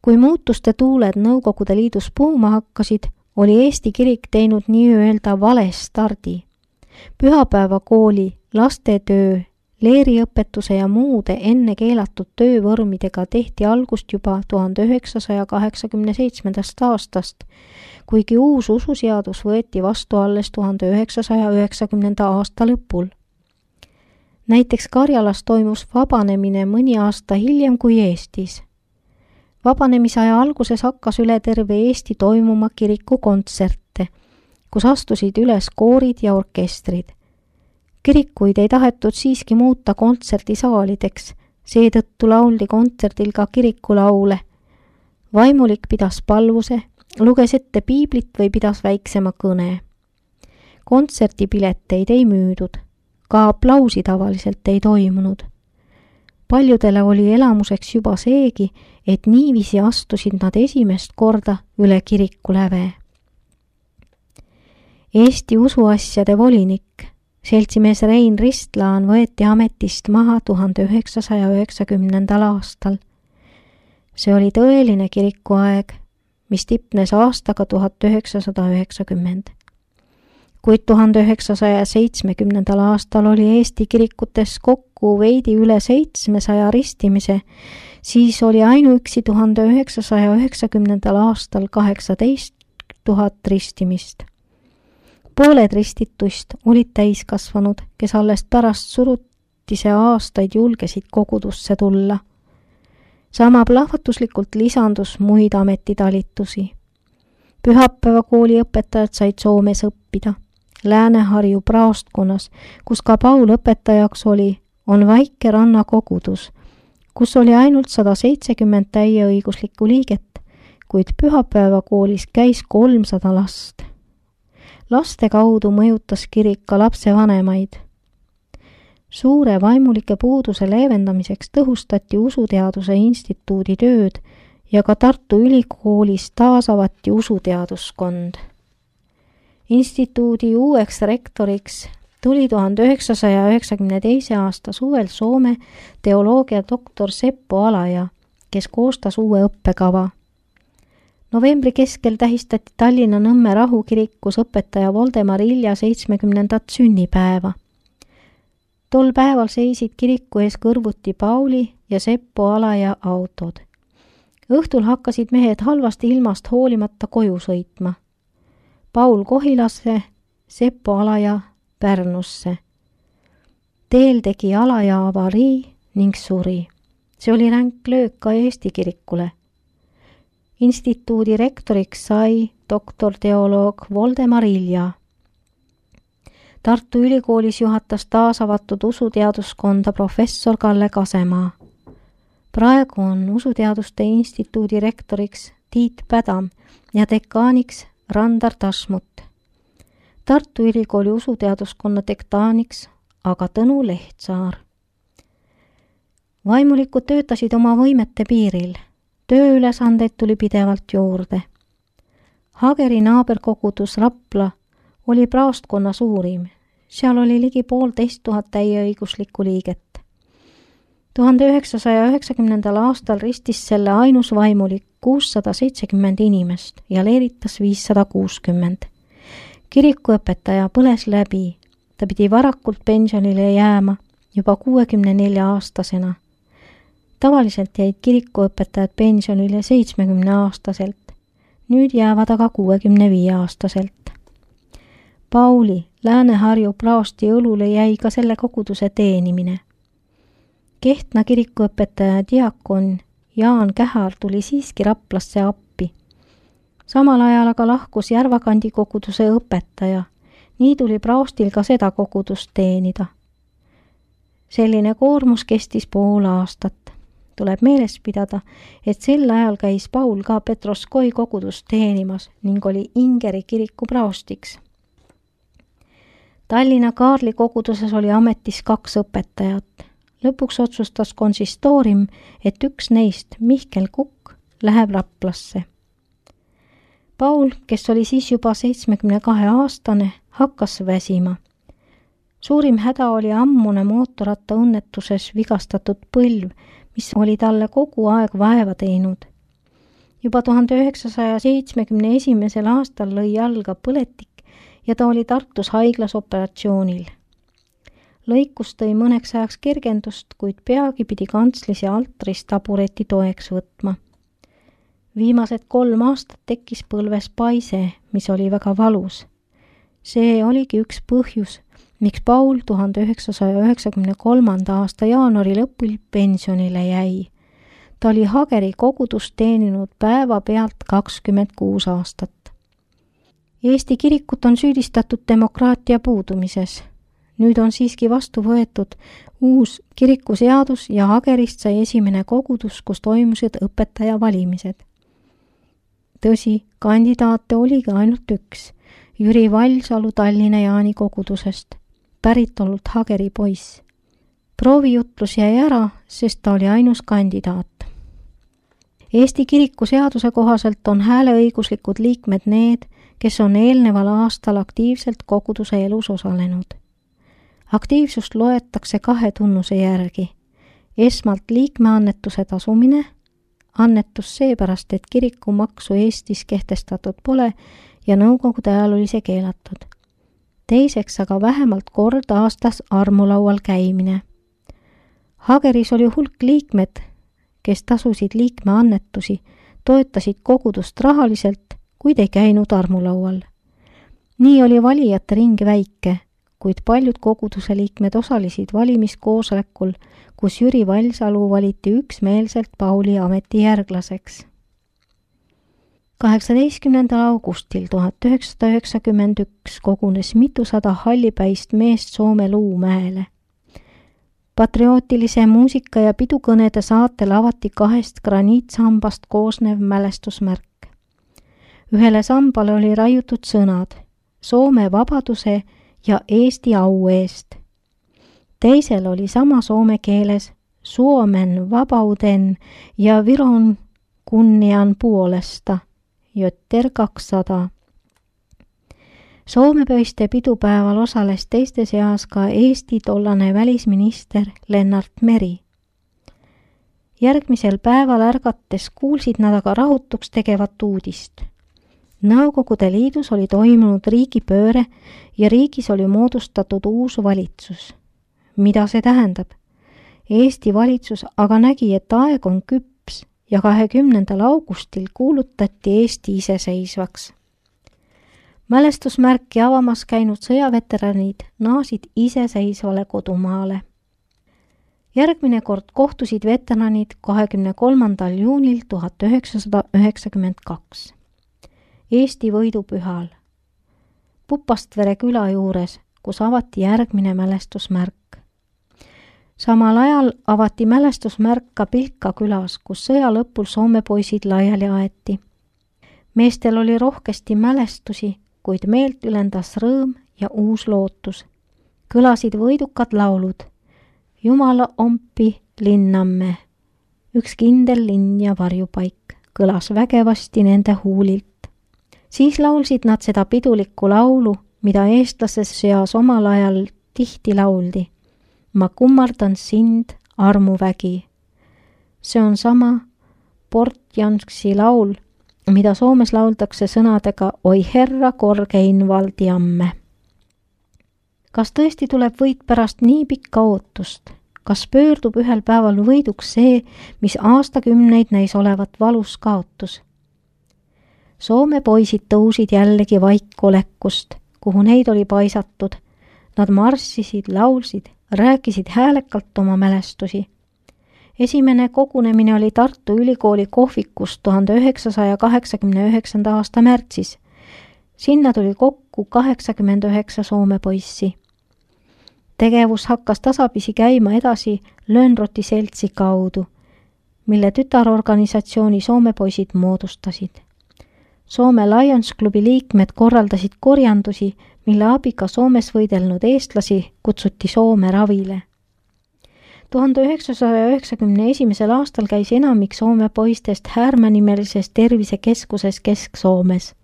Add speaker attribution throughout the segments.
Speaker 1: Kui muutuste tuuled Nõukogude Liidus puhuma hakkasid, oli Eesti kirik teinud nii-öelda vale stardi. Pühapäevakooli, lastetöö, leeriõpetuse ja muude enne keelatud töövormidega tehti algust juba 1987. aastast, kuigi uus ususeadus võeti vastu alles 1990. aasta lõpul. Näiteks Karjalas toimus vabanemine mõni aasta hiljem kui Eestis. Vabanemisaja alguses hakkas üle terve Eesti toimuma kirikukontserte, kus astusid üles koorid ja orkestrid. Kirikuid ei tahetud siiski muuta kontserdisaalideks, seetõttu lauldi kontserdil ka kirikulaule. Vaimulik pidas palvuse, luges ette piiblit või pidas väiksema kõne. Kontserdipileteid ei müüdud, ka aplausi tavaliselt ei toimunud. Paljudele oli elamuseks juba seegi, et niiviisi astusid nad esimest korda üle kirikuläve. Eesti usuasjade volinik, seltsimees Rein Ristlaan võeti ametist maha 1990. aastal. See oli tõeline kirikuaeg, mis tipnes aastaga 1990. Kuid 1970. aastal oli Eesti kirikutes kokku veidi üle 700 ristimise, siis oli ainuüksi 1990. aastal 18 000 ristimist. Pooled ristituist olid täiskasvanud, kes alles pärast surutise aastaid julgesid kogudusse tulla. Sama plahvatuslikult lisandus muid ametitalitusi. Pühapäevakooli õpetajad said Soomes õppida. Lääne-Harju praostkonnas, kus ka Paul õpetajaks oli, on väike rannakogudus, kus oli ainult 170 täieõiguslikku liiget, kuid pühapäevakoolis käis 300 last. Laste kaudu mõjutas kirik ka lapsevanemaid. Suure vaimulike puuduse leevendamiseks tõhustati Usuteaduse Instituudi tööd ja ka Tartu Ülikoolis taasavati usuteaduskond. Instituudi uueks rektoriks tuli 1992. aasta suvel Soome teoloogia doktor Seppo Alaja, kes koostas uue õppekava. Novembri keskel tähistati Tallinna Nõmme rahukirikus õpetaja Voldemar Ilja 70. sünnipäeva. Tol päeval seisid kiriku ees kõrvuti Pauli ja Seppo Alaja autod. Õhtul hakkasid mehed halvasti ilmast hoolimata koju sõitma. Paul Kohilasse, Seppo Alaja Pärnusse. Teel tegi Alaja avarii ning suri. See oli ränk löök ka Eesti kirikule. Instituudi rektoriks sai doktorteoloog Voldemar Ilja. Tartu Ülikoolis juhatas taasavatud usuteaduskonda professor Kalle Kasemaa. Praegu on Usuteaduste Instituudi rektoriks Tiit Pädam ja dekaaniks Randar Tasmut. Tartu Ülikooli usuteaduskonna dekaaniks aga Tõnu Lehtsaar. Vaimulikud töötasid oma võimete piiril. Tööülesandeid tuli pidevalt juurde. Hageri naaberkogudus Rapla oli praostkonna suurim. Seal oli ligi 1500 täieõiguslikku liiget. 1990. aastal ristis selle ainus vaimulik 670 inimest ja leeritas 560. Kirikuõpetaja põles läbi. Ta pidi varakult pensionile jääma juba 64-aastasena. Tavaliselt jäid kirikuõpetajad pensionile 70-aastaselt. Nüüd jäävad aga 65-aastaselt. Pauli Lääne-Harju praosti õlule jäi ka selle koguduse teenimine. Kehtna kirikuõpetaja diakon Jaan Kähar tuli siiski Raplasse appi. Samal ajal aga lahkus Järvakandi koguduse õpetaja. Nii tuli praostil ka seda kogudust teenida. Selline koormus kestis pool aastat. Tuleb meeles pidada, et sel ajal käis Paul ka Petroskoi kogudust teenimas ning oli Ingeri kiriku praostiks. Tallinna Kaarli koguduses oli ametis 2 õpetajat. Lõpuks otsustas konsistoorim, et üks neist, Mihkel Kukk, läheb Raplasse. Paul, kes oli siis juba 72-aastane, hakkas väsima. Suurim häda oli ammune mootorratta õnnetuses vigastatud põlv, mis oli talle kogu aeg vaeva teinud. Juba 1971. aastal lõi jalga põletik ja ta oli Tartus haiglas operatsioonil. Lõikus tõi mõneks ajaks kergendust, kuid peagi pidi kantslis ja altris tabureti toeks võtma. Viimased 3 aastat tekkis põlves paise, mis oli väga valus. See oligi üks põhjus, miks Paul 1993. aasta jaanuari lõpul pensionile jäi. Ta oli Hageri kogudust teeninud päeva pealt 26 aastat. Eesti kirikut on süüdistatud demokraatia puudumises. Nüüd on siiski vastu võetud uus kirikuseadus ja Hagerist sai esimene kogudus, kus toimusid õpetaja valimised. Tõsi, kandidaate oligi ainult üks, Jüri Valsalu Tallinna Jaani kogudusest, päritolult Hageri poiss. Proovijutlus jäi ära, sest ta oli ainus kandidaat. Eesti kirikuseaduse kohaselt on hääleõiguslikud liikmed need, kes on eelneval aastal aktiivselt koguduse elus osalenud. Aktiivsust loetakse 2 tunnuse järgi. Esmalt liikmeannetuse tasumine, annetus seepärast, et kirikumaksu Eestis kehtestatud pole ja nõukogude ajal oli see keelatud. Teiseks aga vähemalt kord aastas armulaual käimine. Hageris oli hulk liikmed, kes tasusid liikmeannetusi, toetasid kogudust rahaliselt, kuid ei käinud armulaual. Nii oli valijate ring väike, kuid paljud koguduse liikmed osalesid valimiskoosolekul, kus Jüri Valsalu valiti üksmeelselt Pauli ametijärglaseks. 18. augustil 1991 kogunes mitusada hallipäist meest Soome Luumäele. Patriootilise muusika ja pidukõnede saatel avati 2 graniitsambast koosnev mälestusmärk. Ühele sambale oli raiutud sõnad Soome vabaduse ja Eesti au eest. Teisel oli sama soome keeles Suomen vapauden ja Viron kunnian puolesta, Jötter 200. Soomepöiste pidupäeval osales teiste seas ka Eesti tollane välisminister Lennart Meri. Järgmisel päeval ärgates kuulsid nad aga rahutuks tegevat uudist. Nõukogude Liidus oli toimunud riigipööre ja riigis oli moodustatud uus valitsus. Mida see tähendab? Eesti valitsus aga nägi, et aeg on küps ja 20. augustil kuulutati Eesti iseseisvaks. Mälestusmärki avamas käinud sõjaveteranid naasid iseseisvale kodumaale. Järgmine kord kohtusid veteranid 23. juunil 1992. Eesti võidupühal. Pupastvere küla juures, kus avati järgmine mälestusmärk. Samal ajal avati mälestusmärk ka Pilka külas, kus sõja lõpul Soome poisid laiali aeti. Meestel oli rohkesti mälestusi, kuid meelt ülendas rõõm ja uus lootus. Kõlasid võidukad laulud. Jumala ompi linnamme. Üks kindel linn ja varjupaik kõlas vägevasti nende huulilt. Siis laulsid nad seda pidulikku laulu, mida eestlase seas omal ajal tihti lauldi. Ma kummardan sind, armuvägi. See on sama Portjanski laul, mida Soomes lauldakse sõnadega Oi herra korgein valdiamme. Kas tõesti tuleb võit pärast nii pikka ootust? Kas pöördub ühel päeval võiduks see, mis aastakümneid näis olevat valus kaotus? Soome poisid tõusid jällegi vaikolekust, kuhu neid oli paisatud. Nad marssisid, laulsid, rääkisid häälekalt oma mälestusi. Esimene kogunemine oli Tartu Ülikooli kohvikus 1989. aasta märtsis. Sinna tuli kokku 89 Soome poissi. Tegevus hakkas tasapisi käima edasi Lönnroti seltsi kaudu, mille tütarorganisatsiooni Soome poisid moodustasid. Soome Lions klubi liikmed korraldasid korjandusi, mille abiga Soomes võidelnud eestlasi kutsuti Soome ravile. 1991. aastal käis enamik Soome poistest Härmä-nimelises tervisekeskuses Kesk-Soomes.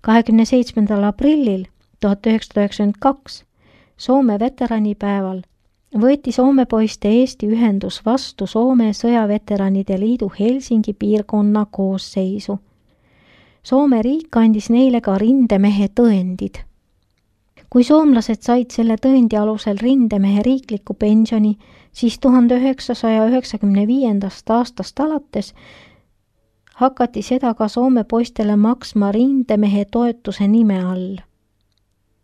Speaker 1: 27. aprillil 1992 Soome veteranipäeval võeti Soome poiste Eesti ühendus vastu Soome sõjaveteranide liidu Helsingi piirkonna koosseisu. Soome riik andis neile ka rindemehe tõendid. Kui soomlased said selle tõendi alusel rindemehe riikliku pensioni, siis 1995. aastast alates hakati seda ka Soome poistele maksma rindemehe toetuse nime all.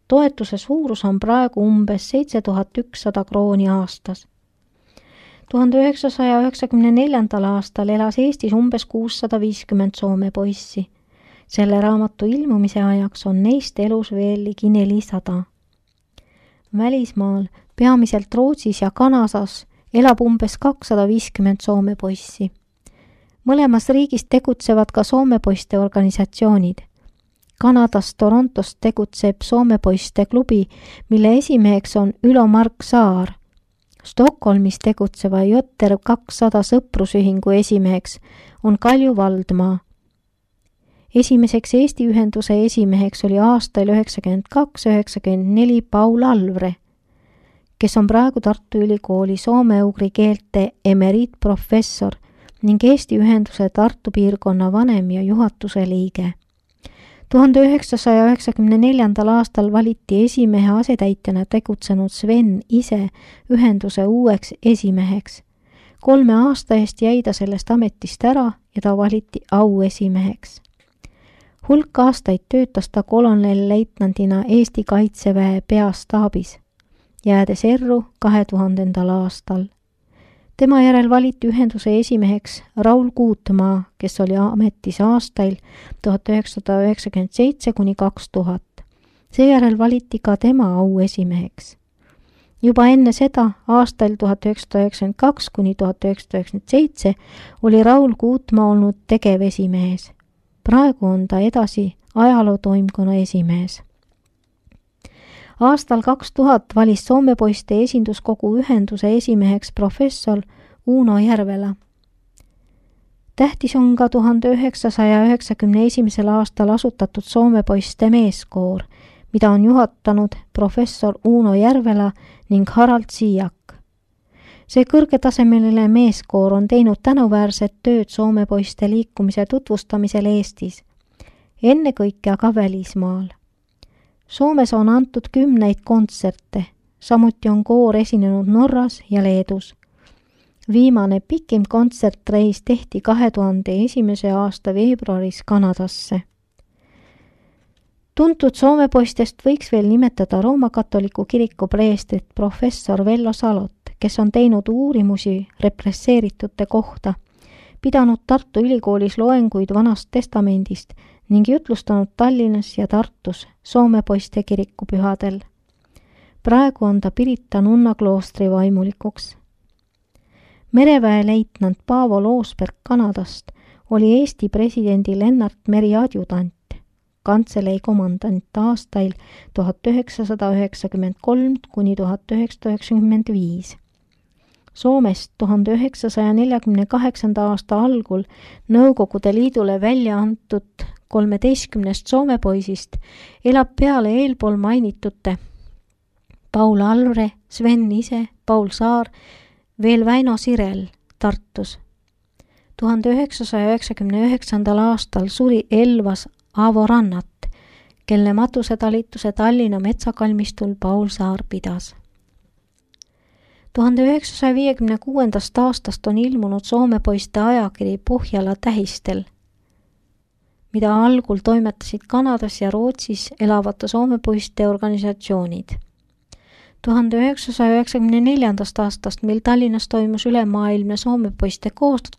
Speaker 1: Toetuse suurus on praegu umbes 7100 krooni aastas. 1994. aastal elas Eestis umbes 650 Soome poissi. Selle raamatu ilmumise ajaks on neist elus veel ligi 400. Välismaal, peamiselt Rootsis ja Kanadas, elab umbes 250 Soome poissi. Mõlemas riigis tegutsevad ka Soome poiste organisatsioonid. Kanadas Torontos tegutseb Soome poiste klubi, mille esimeheks on Ülo Mark Saar. Stockholmis tegutseva Jotter 200 sõprusühingu esimeheks on Kalju Valdmaa. Esimeseks Eesti ühenduse esimeheks oli aastail 92-94 Paul Alvre, kes on praegu Tartu Ülikooli soome-ugri keelte emeriitprofessor ning Eesti ühenduse Tartu piirkonna vanem ja juhatuse liige. 1994. aastal valiti esimehe asetäitjana tegutsenud Sven ise ühenduse uueks esimeheks. 3 aasta eest jäi ta sellest ametist ära ja ta valiti auesimeheks. Hulk aastaid töötas ta kolonelleitnandina Eesti Kaitseväe peastaabis, jäädes erru 2000. aastal. Tema järel valiti ühenduse esimeheks Raul Kuutmaa, kes oli ametis aastail 1997–2000. Seejärel valiti ka tema auesimeheks. Juba enne seda, aastail 1992–1997, oli Raul Kuutmaa olnud tegevesimees. Praegu on ta edasi ajalootoimkonna esimees. Aastal 2000 valis Soome poiste esinduskogu ühenduse esimeheks professor Uno Järvela. Tähtis on ka 1991. aastal asutatud Soome poiste meeskoor, mida on juhatanud professor Uno Järvela ning Harald Siiak. See kõrgetasemeline meeskoor on teinud tänuväärset tööd Soome poiste liikumise tutvustamisel Eestis, ennekõike aga välismaal. Soomes on antud 10 kontserte, samuti on koor esinenud Norras ja Leedus. Viimane pikim kontsertreis tehti 2001. aasta veebruaris Kanadasse. Tuntud Soome poistest võiks veel nimetada Rooma katoliku kiriku preestrit professor Vello Salot, kes on teinud uurimusi represseeritute kohta, pidanud Tartu Ülikoolis loenguid Vanast Testamendist ning jutlustanud Tallinnas ja Tartus Soome poiste kirikupühadel. Praegu on ta Pirita nunna kloostri vaimulikuks. Mereväeleitnant Paavo Loosberg Kanadast oli Eesti presidendi Lennart Meri adjutant, kantselei komandant aastail 1993–1995. Soomest 1948. aasta algul Nõukogude Liidule välja antud 13 Soome poisist elab peale eelpool mainitute Paul Alvre, Sven ise, Paul Saar, veel Väino Sirel Tartus. 1999. aastal suri Elvas Aavo Rannat, kelle matusetalituse Tallinna metsakalmistul Paul Saar pidas. 1956. aastast on ilmunud Soome poiste ajakiri Pohjala tähistel, mida algul toimetasid Kanadas ja Rootsis elavate Soome poiste organisatsioonid. 1994. aastast, mil Tallinnas toimus ülemaailmne Soome poiste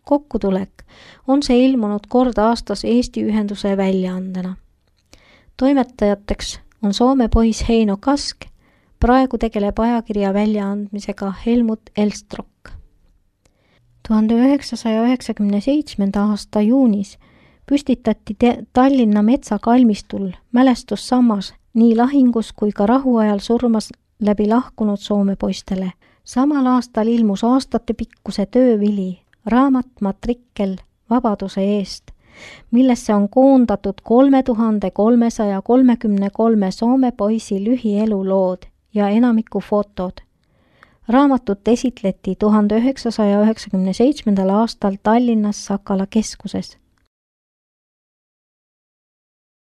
Speaker 1: kokkutulek, on see ilmunud kord aastas Eesti ühenduse väljaandena. Toimetajateks on Soome poiss Heino Kask, praegu tegeleb ajakirja väljaandmisega Helmut Elstrok. 1997. aasta juunis püstitati Tallinna metsakalmistul mälestussammas nii lahingus kui ka rahuajal surmas läbi lahkunud Soome poistele. Samal aastal ilmus aastatepikkuse töövili, raamat Matrikkel vabaduse eest, millesse on koondatud 3333 Soome poisi lühielulood ja enamiku fotod. raamatut esitleti 1997. aastal Tallinnas Sakala keskuses.